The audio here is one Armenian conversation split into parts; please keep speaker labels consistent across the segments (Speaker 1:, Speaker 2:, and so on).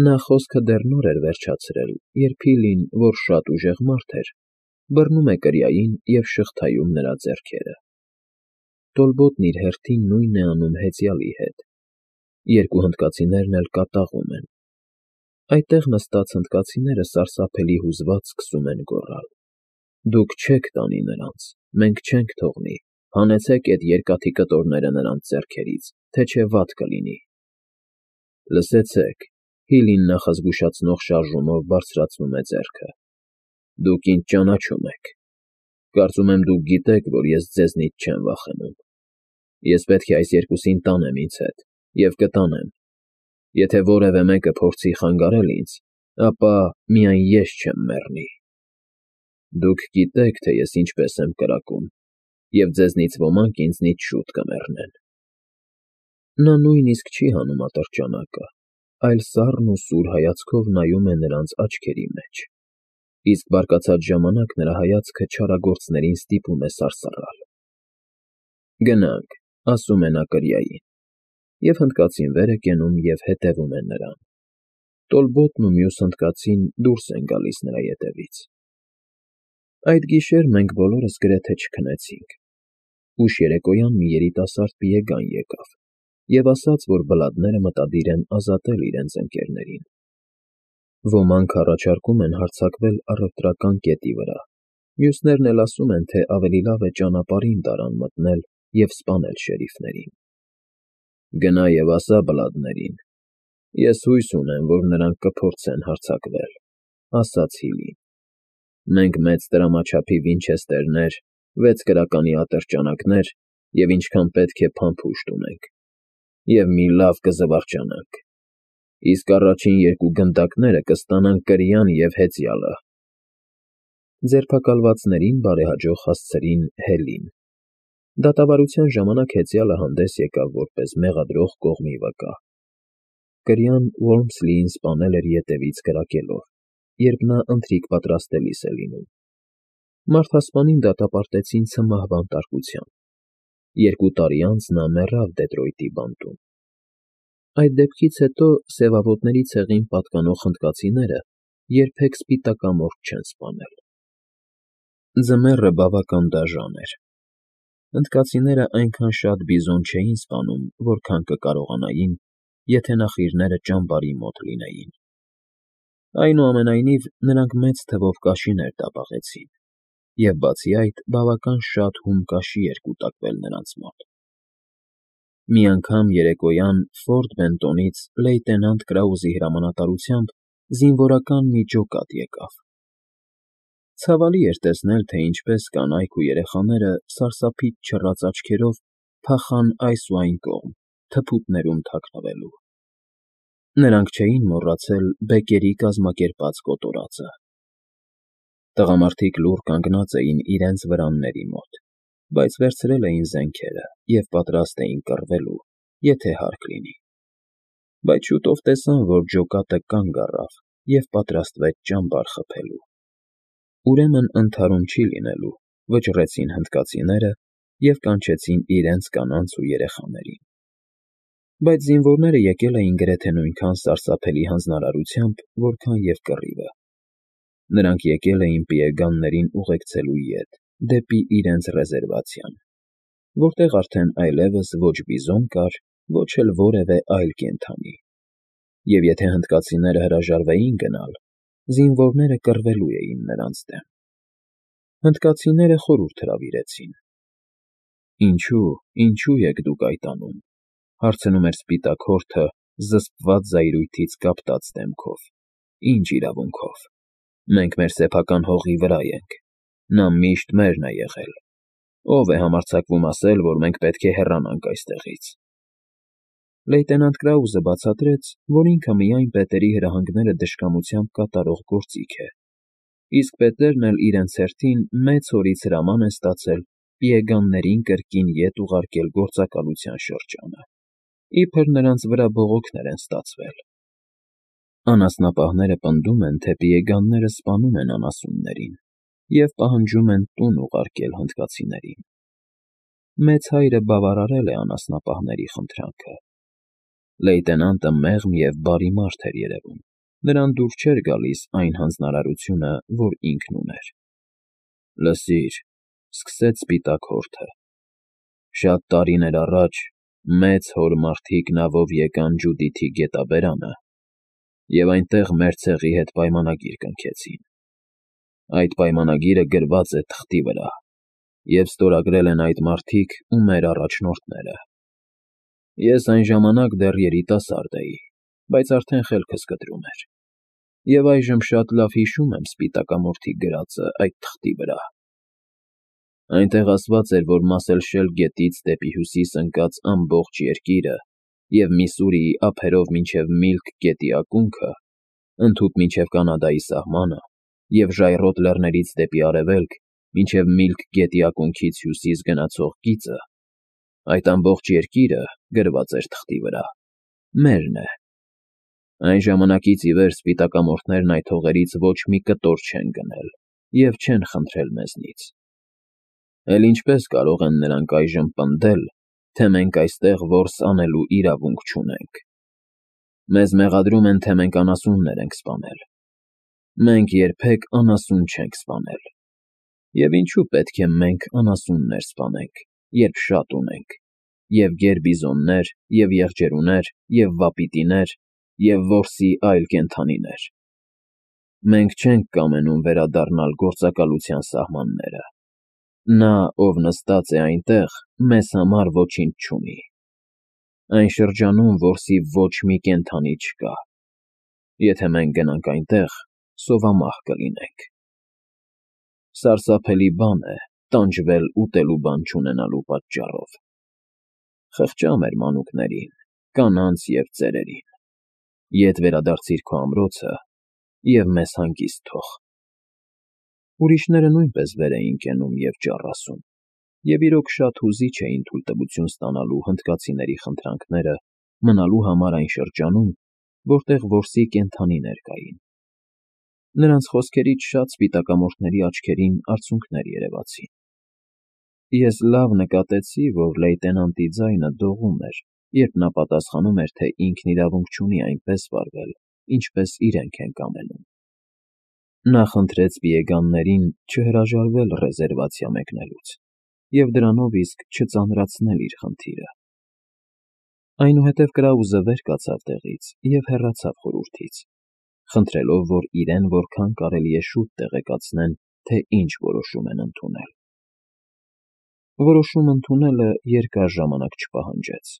Speaker 1: Նա խոսքը դեռ նոր էր վերջացրել, երբ Ֆիլին, որ շատ ուժեղ մարդ էր, բռնում է կրիային և շղթայում նրա ձեռքերը։ Տոլբոտն իր հերթին նույնն է անում հեծյալի հետ։ Երկու հնդկացիներն էլ կատաղում են։ Այդտեղ նստած հնդկացիները սարսափելի հուզված սկսում են գոռալ. «Դուք չեք տանի նրանց, մենք չենք թողնի, հանեցեք էդ երկաթի կտորները նրանց ձեռքերից, թե չէ վատ կլինի»։ Լսեցեք, Ֆիլին նախազգուշացնող շարժումով բարձրացնում է ձեռքը։ Դուք ինձ ճանաչում եք։ Կարծում եմ դուք գիտեք, որ ես ձեզնից չեմ վախենում։ Ես պետք է այս երկուսին տանեմ ինձ հետ, և կտանեմ։ Եթե որևէ մեկը փորձի խանգարել ինձ, ապա միայն ես չեմ մեռնի։ Դուք գիտեք, թե ես ինչպես եմ կրակում, և ձեզնից ոմանք ինձնից շուտ կմեռնեն։ Նա նույնիսկ չի հանում ատրճանակը, այլ սառն ու սուր հայացքով նայում է նրանց աչքերի մեջ, իսկ բարկացած ժամանակ նրա հայացքը չարագործներին ստիպում է սարսռալ։ Գնանք, ասում է նա կրիային, և հնդկացին վեր է կենում և հետևում է նրան։ Տոլբոտն ու մյուս հնդկացին դուրս են գալիս նրա ետևից։ Այդ գիշեր մենք բոլորս գրեթե չքնեցինք։ Ուշ երեկոյան մի երիտասարդ պիեգան եկավ և ասաց, որ բլադները մտադիր են ազատել իրենց ընկերներին։ Ոմանք առաջարկում են հարձակվել առևտրական կետի վրա, մյուսներն էլ ասում են, թե ավելի լավ է ճանապարհին տարան մտնել և սպանել շերիֆներին։ Գնա և ասա բլադներին. ես հույս ունեմ, որ նրանք կփորձեն հարձակվել, ասաց Ֆիլին։ Մենք մեծ տրամաչափի վինչեստերներ, 6 գրականի ատրճանակներ և ինչքան պետք է փամփուշտ ունենք, և մի լավ կզվարճանանք, իսկ առաջին երկու գնդակները կստանան կրիան և հեծյալը։ Ձերբակալվածներին բարեհաջող հասցրին Հելին։ Դատավարության ժամանակ հեծյալը հանդես եկավ որպես մեղադրող կողմի վկա։ Կրիան Ոռմսլիին սպանել էր ետևից կրակելով, երբ նա ընթրիք պատրաստելիս է լինում։ Մարդասպանին դատապարտեցին ցմահվան տարկության։ 2 տարի անց նա մեռավ Դեթրոյթի բանտում։ Այդ դեպքից հետո սևավոտների ցեղին պատկանող հնդկացիները երբեք սպիտակամորթ չեն սպանել։ Ձմեռը բավական դաժան էր։ Հնդկացիները այնքան շատ բիզոն չէին սպանում, որքան կկարողանային, եթե նախիրները ճամբարի մոտ լինեին։ Այնուամենայնիվ, նրանք մեծ թվով կաշիներ տապակեցին, և բացի այդ, բավական շատ հում կաշի էր կուտակվել նրանց մոտ։ Մի անգամ երեկոյան Ֆորտ Բենտոնից լեյտենանտ Կրաուզի հրամանատարությամբ զինվորական մի ջոկատ եկավ։ Ցավալի էր տեսնել, թե ինչպես կանայք ու երեխաները սարսափից չռած աչքերով փախան այս ու այն կողմ, թփուտներում թաքնվելու։ Նրանք չէին մոռացել բեկերի կազմակերպած կոտորածը։ Տղամարդիկ լուռ կանգնած էին իրենց վրանների մոտ, բայց վերցրել էին զենքերը և պատրաստ էին կռվելու, եթե հարկ լինի։ Բայց շուտով տեսան, որ ջոկատը կանգ առավ և պատրաստվեց ճամբար խփելու։ Ուրեմն ընդհարում չի լինելու, վճռեցին հնդկացիները և կանչեցին իրենց կանանց ու երեխաներին։ Բայց զինվորները եկել էին գրեթե նույնքան սարսափելի հանձնարարությամբ, որքան և կռիվը։ Նրանք եկել էին պիեգաններին ուղեկցելու ետ, դեպի իրենց ռեզերվացիան, որտեղ արդեն այլևս ոչ բիզոն կար, ոչ էլ որևէ այլ կենդանի։ Եվ եթե հնդկացիները հրաժարվեին գնալ, զինվորները կռվելու էին նրանց դեմ։ Հնդկացիները խորհուրդ հրավիրեցին։ Ինչու եք դուք այդ անում, հարցնում էր սպիտակ հորթը զսպված զայրույթից կապտած դեմքով։ Ինչ իրավունքով։ Մենք մեր սեփական հողի վրա ենք։ Նա միշտ մերն է եղել։ Ո՞վ է համարձակվում ասել, որ մենք պետք է հեռանանք այստեղից։ Լեյտենանտ Կրաուզը բացատրեց, որ ինքը միայն պետերի հրահանգները դժկամությամբ կատարող գործիք է, իսկ պետերն էլ իրենց հերթին մեծ հորից հրաման են ստացել պիեգաններին կրկին ետ ուղարկել գործակալության շրջանը, իբր նրանց վրա բողոքներ են ստացվել։ Անասնապահները պնդում են, թե պիեգանները սպանում են անասուններին և պահանջում են տուն ուղարկել հնդկացիներին։ Մեծ հայրը բավարարել է անասնապահների խնդրանքը։ Լեյտենանտը մեղմ և բարի մարդ էր երևում։ Նրան դուր չէր գալիս այն հանձնարարությունը, որ ինքն ուներ։ Լսիր, սկսեց սպիտակ հորթը, շատ տարիներ առաջ մեծ հոր մարդիկ նավով եկան Ջուդիթի գետաբերանը և այնտեղ մեր ցեղի հետ պայմանագիր կնքեցին։ Այդ պայմանագիրը գրված է թղթի վրա և ստորագրել են այդ մարդիկ ու մեր առաջնորդները։ Ես այն ժամանակ դեռ երիտասարդ էի, բայց արդեն խելքս կտրում էր, և այժմ շատ լավ հիշում եմ սպիտակամորթի գրածը այդ թղթի վրա։ Այնտեղ ասված էր, որ Մասելշել գետից դեպի հյուսիս ընկած ամբողջ երկիրը և Միսսուրիի ափերով մինչև Միլք գետի ակունքը, ընդհուպ մինչև Կանադայի սահմանը և ժայռոտ լեռներից դեպի արևելք մինչև Միլք գետի ակունքից հյուսիս գնացող գիծը, այդ ամբողջ երկիրը, գրված էր թղթի վրա, մերն է։ Այն ժամանակից ի վեր սպիտակամորթներն այդ հողերից ոչ մի կտոր չեն գնել և չեն խնդրել մեզնից։ Էլ ինչպես կարող են նրանք այժմ պնդել, թե մենք այստեղ որս անելու իրավունք չունենք։ Մեզ մեղադրում են, թե մենք անասուններ ենք սպանել։ Մենք երբեք անասուն չենք սպանել։ Եվ ինչու պետք է մենք անասուններ սպանենք, երբ շատ ունենք, և գեր֊բիզոններ, և եղջերուներ, և վապիտիներ, և որսի այլ կենդանիներ։ Մենք չենք կամենում վերադառնալ գործակալության սահմանները։ Նա, ով նստած է այնտեղ, մեզ համար ոչինչ չունի։ Այն շրջանում որսի ոչ մի կենդանի չկա։ Եթե մենք գնանք այնտեղ, սովամահ կլինենք։ Սարսափելի բան է տանջվել ուտելու բան չունենալու պատճառով։ Խղճա մեր մանուկներին, կանանց և ծերերին։ Ետ վերադարձիր քո ամրոցը և մեզ հանգիստ թող։ Ուրիշները նույնպես վեր էին կենում և ճառասում, և իրոք շատ հուզիչ էին թույլտվություն ստանալու հնդկացիների խնդրանքները մնալու համար այն շրջանում, որտեղ որսի կենդանիներ կային։ Նրանց խոսքերից շատ սպիտակամորթների աչքերին արցունքներ երևացին։ Ես լավ նկատեցի, որ լեյտենանտի ձայնը դողում էր, երբ նա պատասխանում էր, թե ինքն իրավունք չունի այնպես վարվել, ինչպես իրենք են կամենում։ Նա խնդրեց պիեգաններին չհրաժարվել ռեզերվացիա մեկնելուց և դրանով իսկ չծանրացնել իր խնդիրը։ Այնուհետև Կրաուզը վեր կացավ տեղից և հեռացավ խորհրդից, խնդրելով, որ իրեն որքան կարելի է շուտ տեղեկացնեն, թե ինչ որոշում են ընդունել։ Որոշում ընդունելը երկար ժամանակ չպահանջեց։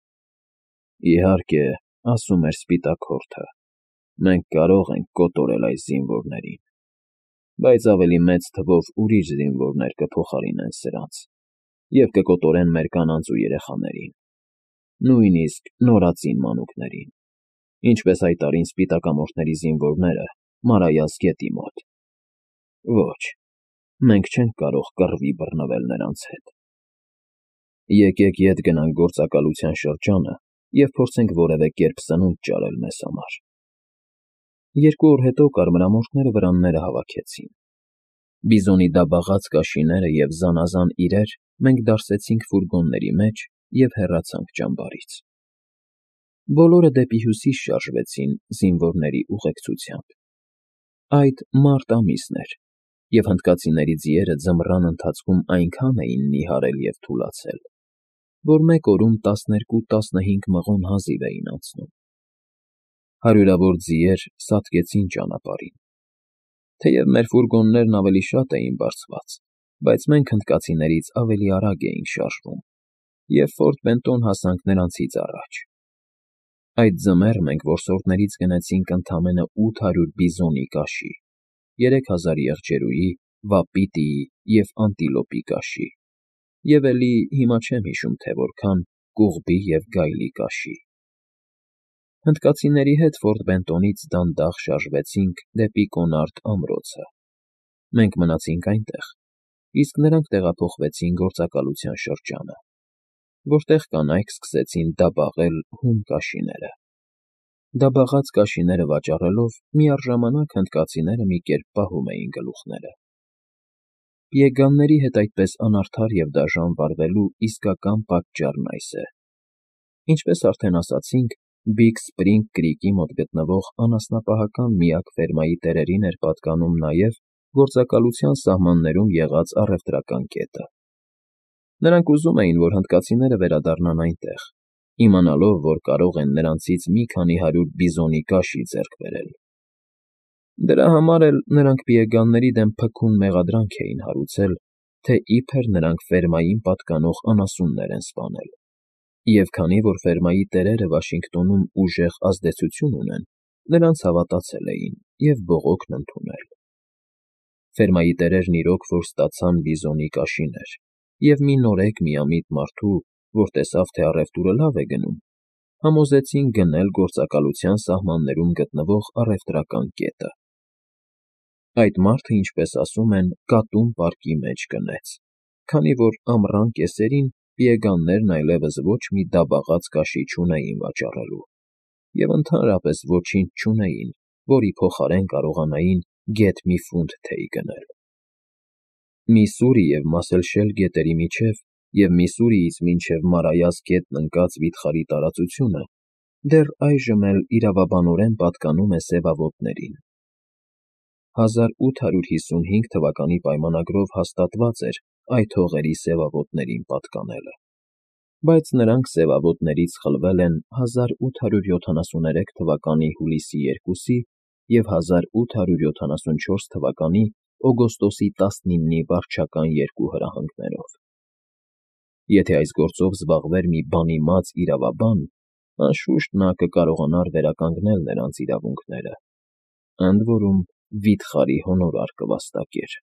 Speaker 1: Իհարկե, ասում էր սպիտակ հորթը, մենք կարող ենք կոտորել այս զինվորներին, բայց ավելի մեծ թվով ուրիշ զինվորներ կփոխարինեն սրանց և կկոտորեն մեր կանանց ու երեխաներին, նույնիսկ նորածին մանուկներին, ինչպես հայտարին սպիտակամորթների զինվորները Մարայას գետի մոտ։ Ոչ, մենք չենք կարող կռվի բռնվել նրանց հետ։ Եկեք ետ գնանք գործակալության շրջանը և փորձենք որևէ կերպ սնունդ ճարել մեզ համար։ 2 օր հետո կարմրամորթները վրանները հավաքեցին։ Բիզոնի դաբաղած կաշիները և զանազան իրեր մենք դարսեցինք ֆուրգոնների մեջ և հեռացանք ճամբարից։ Բոլորը դեպի հյուսիս շարժվեցին զինվորների ուղեկցությամբ։ Այդ մարտ ամիսն էր, և հնդկացիների ձիերը ձմռան ընթացքում այնքան էին նիհարել և թուլացել, որ մեկ օրում 12-15 մղոն հազիվ էին անցնում։ Հարյուրավոր ձիեր սատկեցին ճանապարհին։ Թեև մեր ֆուրգոններն ավելի շատ էին բարձված, բայց մենք հնդկացիներից ավելի արագ էինք շարժվում, և Ֆորտ Բենտոն հասանք նրանցից առաջ։ Այդ ձմեռ մենք որսորդներից գնեցինք ընդամենը 800 բիզոնի կաշի, 3000 եղջերուի, վապիտիի և անտիլոպի կաշի, և էլի հիմա չեմ հիշում, թե որքան կուղբի և գայլի կաշի։ Հնդկացիների հետ Ֆորտ Բենտոնից դանդաղ շարժվեցինք դեպի Կոնարդ ամրոցը։ Մենք մնացինք այնտեղ, իսկ նրանք տեղափոխվեցին գործակալության շրջանը, որտեղ կանայք սկսեցին դաբաղել հում կաշիները։ Դաբաղած կաշիները վաճառելով միառժամանակ հնդկացիները մի կերպ պահում էին գլուխները։ Պիեգանների հետ այդպես անարդար և դաժան վարվելու իսկական պատճառն այս է. ինչպես արդեն ասացինք, Բիգ Սփրինգ Կրիկի մոտ գտնվող անասնապահական միակ ֆերմայի տերերին էր պատկանում նաև գործակալության սահմաններում եղած առևտրական կետը։ Նրանք ուզում էին, որ հնդկացիները վերադառնան այնտեղ, իմանալով, որ կարող են նրանցից մի քանի հարյուր բիզոնի կաշի ձեռք բերել։ Դրա համար էլ նրանք պիեգանների դեմ փքուն մեղադրանք էին հարուցել, թե իբր նրանք ֆերմային պատկանող անասուններ են սպանել, և քանի որ ֆերմայի տերերը Վաշինգտոնում ուժեղ ազդեցություն ունեն, նրանց հավատացել էին և բողոքն ընդունել։ Ֆերմայի տերերն իրոք որ ստացան բիզոնի կաշիներ, և մի նորեկ միամիտ մարդու, որ տեսավ, թե առևտուրը լավ է գնում, համոզեցին գնել գործակալության սահմաններում գտնվող առևտրական կետը։ Այդ մարդը, ինչպես ասում են, կատուն պարկի մեջ կնեց, քանի որ ամռան կեսերին պիեգաններն այլևս ոչ մի դաբաղած կաշի չունեին վաճառելու, և ընդհանրապես ոչինչ չունեին, որի փոխարեն կարողանային գեթ մի ֆունտ թեյ գնել։ Միսսուրի և Մասելշել գետերի միջև և Միսսուրիից մինչև Մարայას գետն ընկած վիթխարի տարածությունը դեռ այժմ էլ իրավաբանորեն պատկանում է սևավոտներին։ 1855 թվականի պայմանագրով հաստատված էր այդ հողերի սևավոտներին պատկանելը, բայց նրանք սևավոտներից խլվել են 1873 թվականի հուլիսի 2-ի և 1874 թվականի օգոստոսի 19-ի վարչական երկու հրահանգներով։ Եթե այս գործով զբաղվեր մի բանիմաց իրավաբան, անշուշտ նա կկարողանար վերականգնել նրանց իրավունքները, ընդ որում վիթխարի հոնորար կվաստակեր։